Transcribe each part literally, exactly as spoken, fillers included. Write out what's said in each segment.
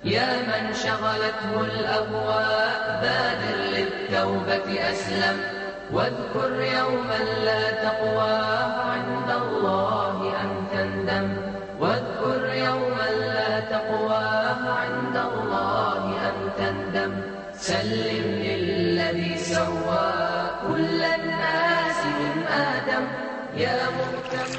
يا من شغلته الأهواء بادر للتوبة أسلم واذكر يوما لا تقوى عند الله أن تندم واذكر يوما لا تقوى عند الله أن تندم سلم للذي سوى كل الناس من آدم يا مهتم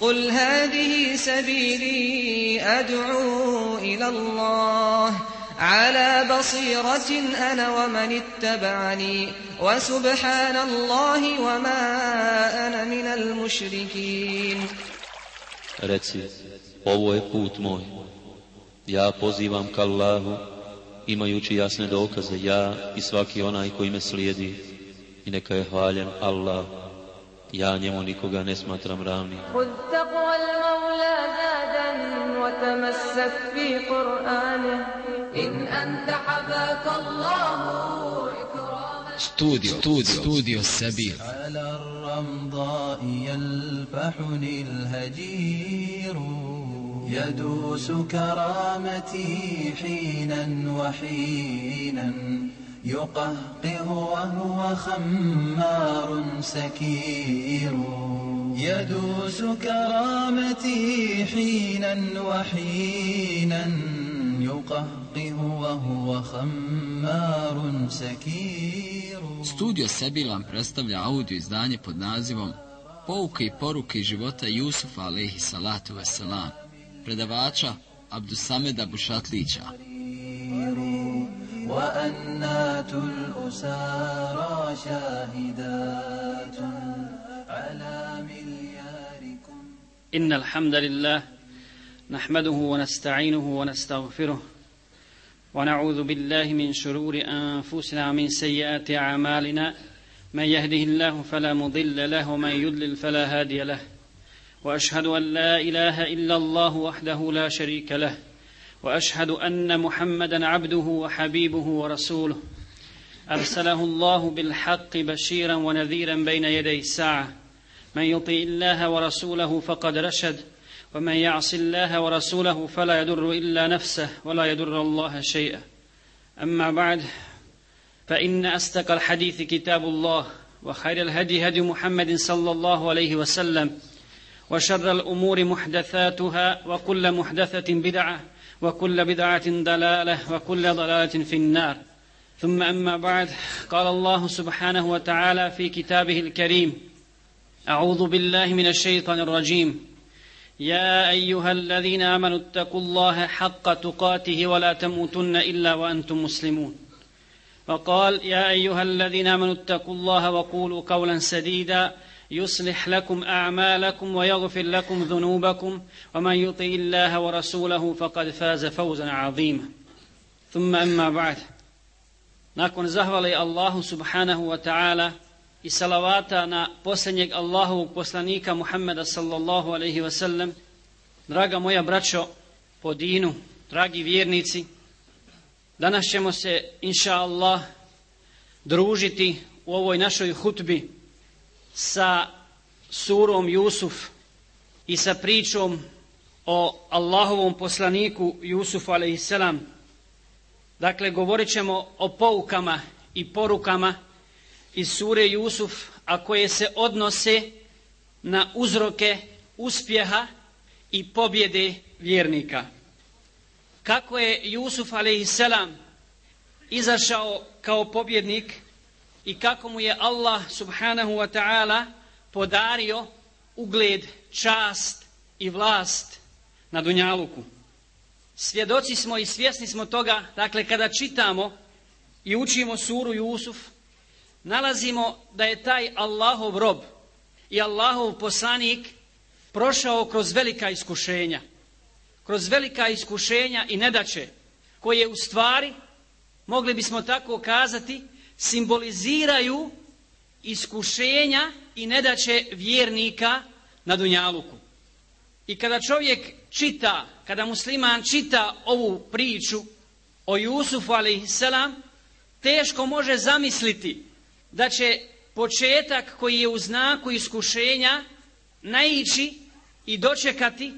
قل هذه سبيلي أدعو إلى الله على بصيرة أنا ومن اتبعني وسبحان الله وما أنا من المشركين. Reci, ovo je put moj. Ja pozivam ka Allahu, imajući jasne dokaze, ja i svaki onaj koji me slijedi. I neka je hvaljen Allah. Ja njemu nikoga ne smatram ravnim. خذ تقوى المولى زادا وتمسك في قرآنه إن أنت حباك الله إكراما. استوديو استوديو استوديو السبيل. على الرمضاء يلفحني الهجير يدوس كرامتي حينا وحينا يقهقه وهو خمار سكير يدوس كرامتي حينا وحينا يقهقه وهو خمار سكير. Studio Sebil vam predstavlja audio izdanje pod nazivom Pouke i poruke života Jusufa alejhi salatu vesselam, predavača Abdusameda Bušatlića. وأنات الأسارى شاهدات على ملياركم. إن الحمد لله نحمده ونستعينه ونستغفره ونعوذ بالله من شرور أنفسنا ومن سيئات أعمالنا من يهده الله فلا مضل له ومن يضلل فلا هادي له وأشهد أن لا إله إلا الله وحده لا شريك له وأشهد أن محمدا عبده وحبيبه ورسوله أرسله الله بالحق بشيرا ونذيرا بين يدي الساعة من يطيع الله ورسوله فقد رشد ومن يعص الله ورسوله فلا يضر إلا نفسه ولا يضر الله شيئا أما بعد فإن أصدق الحديث كتاب الله وخير الهدي هدي محمد صلى الله عليه وسلم وشر الأمور محدثاتها وكل محدثة بدعة وكل بدعة ضلالة وكل ضلالة في النار ثم أما بعد قال الله سبحانه وتعالى في كتابه الكريم أعوذ بالله من الشيطان الرجيم يا أيها الذين آمنوا اتقوا الله حق تقاته ولا تموتن إلا وأنتم مسلمون وقال يا أيها الذين آمنوا اتقوا الله وقولوا قولا سديدا يصلح لكم أعمالكم ويغفر لكم ذنوبكم ومن يطع الله ورسوله فقد فاز فوزا عظيما ثم أما بعد nakon zahvale Allahu subhanahu wa ta'ala i salavata na posljednjeg Allahovog poslanika Muhammeda sallallahu alaihi wa sallam, draga moja braćo po dinu, dragi vjernici, danas ćemo se inša Allah družiti u ovoj našoj hutbi sa surom Jusuf i sa pričom o Allahovom poslaniku Jusufu alejhiselam. Dakle, govorit ćemo o poukama i porukama iz sure Jusuf, a koje se odnose na uzroke uspjeha i pobjede vjernika. Kako je Jusuf alejhiselam izašao kao pobjednik i kako mu je Allah subhanahu wa ta'ala podario ugled, čast i vlast na dunjaluku. Svjedoci smo i svjesni smo toga, dakle, kada čitamo i učimo suru Jusuf, nalazimo da je taj Allahov rob i Allahov poslanik prošao kroz velika iskušenja. Kroz velika iskušenja i nedaće, koje u stvari, mogli bismo tako kazati, simboliziraju iskušenja i nedaće vjernika na dunjaluku. I kada čovjek čita, kada musliman čita ovu priču o Jusufu alejhiselam, teško može zamisliti da će početak koji je u znaku iskušenja naići i dočekati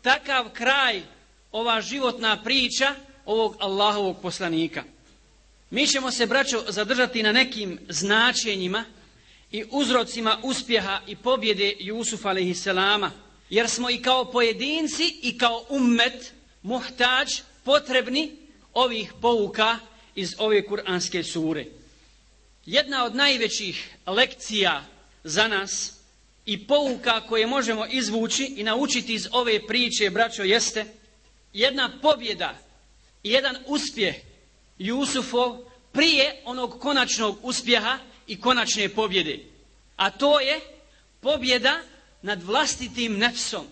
takav kraj ova životna priča ovog Allahovog poslanika. Mi ćemo se, braćo, zadržati na nekim značenjima i uzrocima uspjeha i pobjede Jusufa alejhiselama, jer smo i kao pojedinci i kao ummet muhtađ, potrebni ovih pouka iz ove kuranske sure. Jedna od najvećih lekcija za nas i pouka koje možemo izvući i naučiti iz ove priče, braćo, jeste jedna pobjeda i jedan uspjeh Jusufov prije onog konačnog uspjeha i konačne pobjede. A to je pobjeda nad vlastitim nefsom,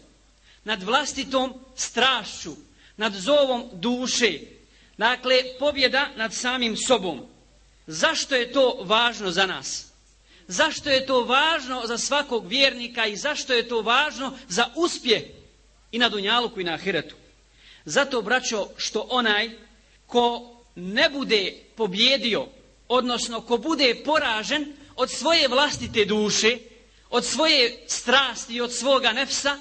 nad vlastitom strašću, nad zovom duše. Dakle, pobjeda nad samim sobom. Zašto je to važno za nas? Zašto je to važno za svakog vjernika i zašto je to važno za uspjeh i na dunjaluku i na ahiretu? Zato, braćo, što onaj ko ne bude pobjedio, odnosno ko bude poražen od svoje vlastite duše, od svoje strasti i od svoga nefsa,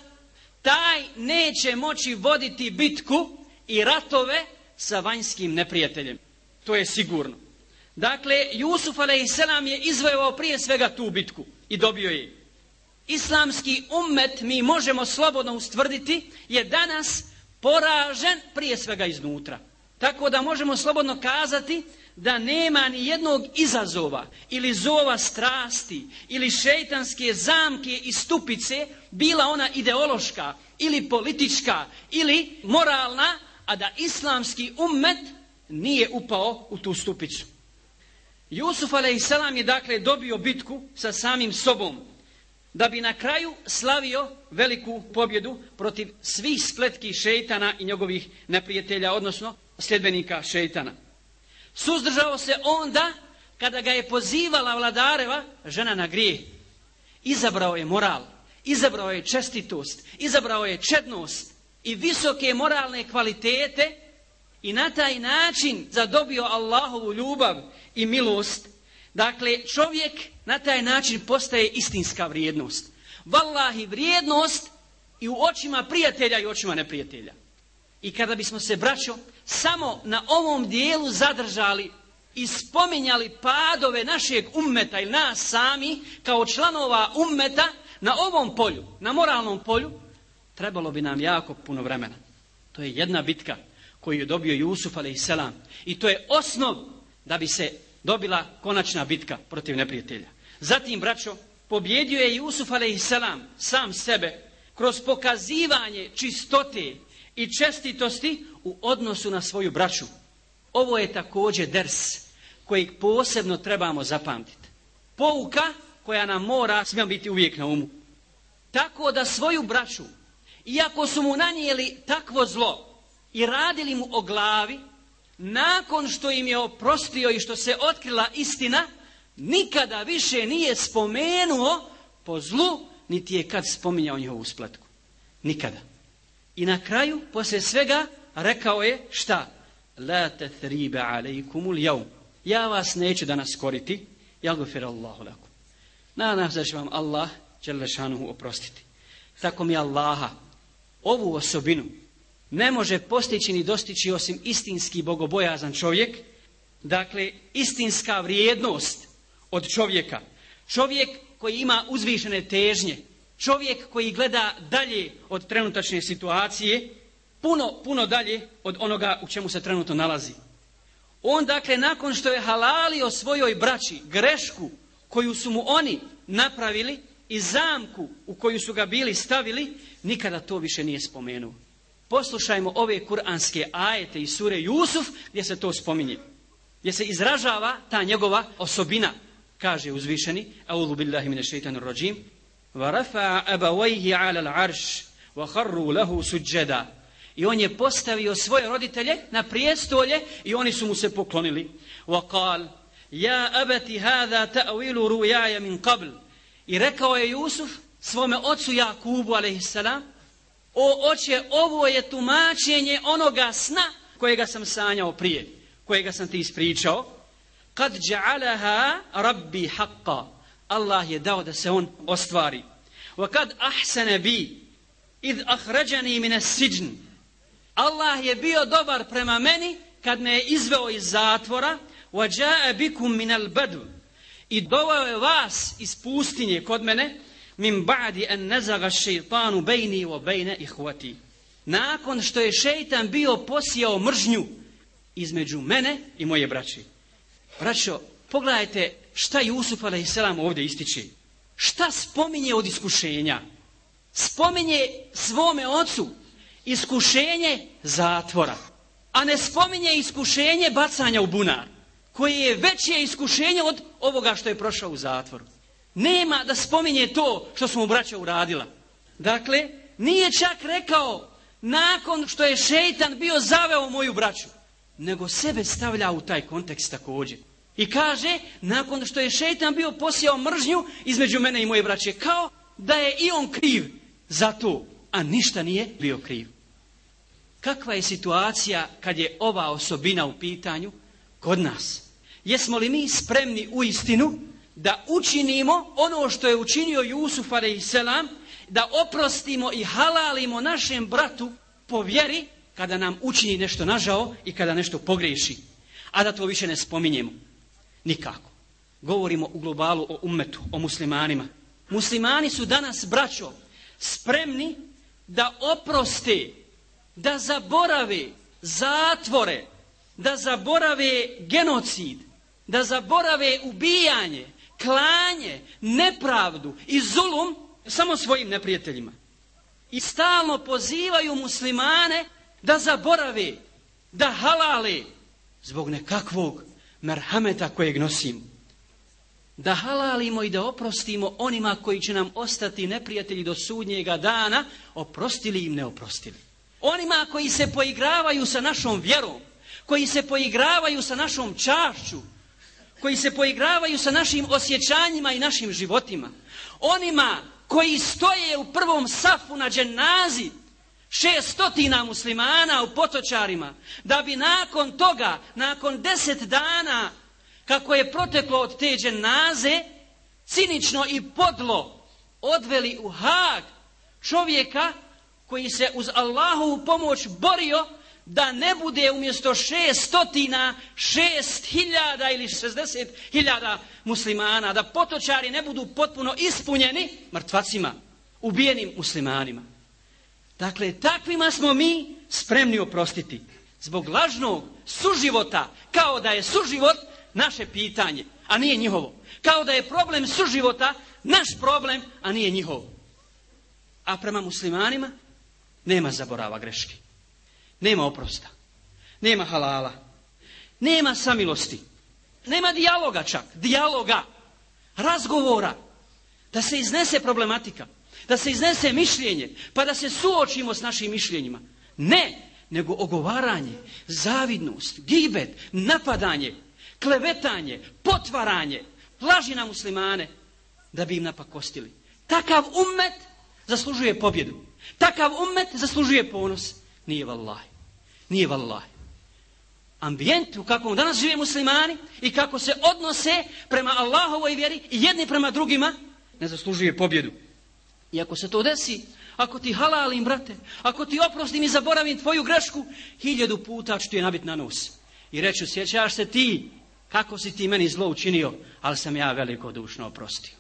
taj neće moći voditi bitku i ratove sa vanjskim neprijateljem. To je sigurno. Dakle, Jusuf alejselam je izvojevao prije svega tu bitku i dobio je. Islamski ummet, mi možemo slobodno ustvrditi, je danas poražen prije svega iznutra. Tako da možemo slobodno kazati da nema ni jednog izazova ili zova strasti ili šejtanske zamke i stupice, bila ona ideološka ili politička ili moralna, a da islamski ummet nije upao u tu stupicu. Jusuf alejselam je dakle dobio bitku sa samim sobom, da bi na kraju slavio veliku pobjedu protiv svih spletki šejtana i njegovih neprijatelja, odnosno sljedbenika šejtana. Suzdržao se onda kada ga je pozivala vladareva žena na grijeh. Izabrao je moral, izabrao je čestitost, izabrao je čednost i visoke moralne kvalitete i na taj način zadobio Allahovu ljubav i milost. Dakle, čovjek na taj način postaje istinska vrijednost. Vallahi, vrijednost i u očima prijatelja i u očima neprijatelja. I kada bismo se, braćo, samo na ovom dijelu zadržali i spominjali padove našeg ummeta ili nas sami kao članova ummeta na ovom polju, na moralnom polju, trebalo bi nam jako puno vremena. To je jedna bitka koju je dobio Jusuf alejselam i to je osnov da bi se dobila konačna bitka protiv neprijatelja. Zatim, braćo, pobjedio je Jusuf alejselam sam sebe kroz pokazivanje čistote i čestitosti u odnosu na svoju braću. Ovo je također ders kojeg posebno trebamo zapamtiti. Pouka koja nam mora svima biti uvijek na umu. Tako da svoju braću, iako su mu nanijeli takvo zlo i radili mu o glavi, nakon što im je oprostio i što se otkrila istina, nikada više nije spomenuo po zlu, niti je kad spominjao njihovu spletku. Nikada. I na kraju, poslije svega, rekao je šta? La tathriba alejkumul jevm. Ja vas neću danas koriti. Jagfirallahu lakum. Nadam se da će vam Allah dželle šanuhu oprostiti. Tako mi Allaha, ovu osobinu ne može postići ni dostići osim istinski bogobojazan čovjek. Dakle, istinska vrijednost od čovjeka. Čovjek koji ima uzvišene težnje. Čovjek koji gleda dalje od trenutačne situacije, puno, puno dalje od onoga u čemu se trenutno nalazi. On, dakle, nakon što je halalio svojoj braći grešku koju su mu oni napravili i zamku u koju su ga bili stavili, nikada to više nije spomenuo. Poslušajmo ove kuranske ajete iz sure Jusuf gdje se to spominje. Gdje se izražava ta njegova osobina. Kaže uzvišeni, A'udhu billahi minash shaitanir rajim, وَرَفَعَ أَبَوَيْهِ عَلَى الْعَرْشِ وَخَرُّوا لَهُ سُجَّدًا. I on je postavio svoje roditelje na prijestolje i oni su mu se poklonili. وَقَالْ يَا أَبَتِ هَذَا تَأْوِيلُ رُوْيَايَ مِنْ قَبْلِ. I rekao je Jusuf svome ocu Jakubu alejselam, o oče, ovo je tumačenje onoga sna kojega sam sanjao prije, kojega sam ti ispričao. قَدْ جَعَلَهَا رَبِّي حَقًّا. Allah je dao da se on ostvari. وَكَدْ أَحْسَنَ بِي إِذْ أَخْرَجَنِي مِنَ السِّجْنِ. Allah je bio dobar prema meni kad me je izveo iz zatvora, وَجَاءَ بِكُمْ مِنَ الْبَدْوِ i doveo je vas iz pustinje kod mene, min ba'di an nazaga šeitanu bejni wa bejne ihvati. Nakon što je šeitan bio posijao mržnju između mene i moje braće. Braćo, pogledajte šta Jusuf alejselam ovdje ističe. Šta spominje od iskušenja? Spominje svome ocu iskušenje zatvora, a ne spominje iskušenje bacanja u bunar, koje je veće iskušenje od ovoga što je prošao u zatvoru. Nema da spominje to što smo mu braća uradila. Dakle, nije čak rekao nakon što je šeitan bio zaveo moju braću, nego sebe stavlja u taj kontekst također. I kaže, nakon što je šeitan bio posijao mržnju između mene i moje braće, kao da je i on kriv za to, a ništa nije bio kriv. Kakva je situacija kad je ova osobina u pitanju kod nas? Jesmo li mi spremni u istinu da učinimo ono što je učinio Jusuf alejselam, da oprostimo i halalimo našem bratu po vjeri kada nam učini nešto nažao i kada nešto pogriješi, a da to više ne spominjemo? Nikako. Govorimo u globalu o ummetu, o muslimanima. Muslimani su danas, braćo, spremni da oproste, da zaborave zatvore, da zaborave genocid, da zaborave ubijanje, klanje, nepravdu i zulum samo svojim neprijateljima. I stalno pozivaju muslimane da zaborave, da halale zbog nekakvog merhameta kojeg nosimo. Da halalimo i da oprostimo onima koji će nam ostati neprijatelji do sudnjega dana, oprostili im ne oprostili. Onima koji se poigravaju sa našom vjerom, koji se poigravaju sa našom čašću, koji se poigravaju sa našim osjećanjima i našim životima. Onima koji stoje u prvom safu na dženazi šestotina muslimana u Potočarima, da bi nakon toga, nakon deset dana kako je proteklo od te dženaze, cinično i podlo odveli u Haag čovjeka koji se uz Allahovu pomoć borio da ne bude umjesto šestotina, šest hiljada ili šezdeset hiljada muslimana, da Potočari ne budu potpuno ispunjeni mrtvacima, ubijenim muslimanima. Dakle, takvima smo mi spremni oprostiti zbog lažnog suživota, kao da je suživot naše pitanje, a nije njihovo. Kao da je problem suživota naš problem, a nije njihovo. A prema muslimanima nema zaborava greški. Nema oprosta. Nema halala. Nema samilosti. Nema dijaloga čak. Dijaloga. Razgovora. Da se iznese problematika. Da se iznese mišljenje. Pa da se suočimo s našim mišljenjima. Ne. Nego ogovaranje, zavidnost, gibet, napadanje, klevetanje, potvaranje, laži na muslimane da bi im napakostili. Takav ummet zaslužuje pobjedu. Takav ummet zaslužuje ponos. Nije vallahi. Nije vallahi. Ambijent u kakvom danas žive muslimani i kako se odnose prema Allahovoj vjeri i jedni prema drugima ne zaslužuje pobjedu. I ako se to desi, ako ti halalim, brate, ako ti oprostim i zaboravim tvoju grešku, hiljadu puta ću ti je nabit na nos. I reću, sjećaš se ti kako si ti meni zlo učinio, ali sam ja velikodušno oprostio.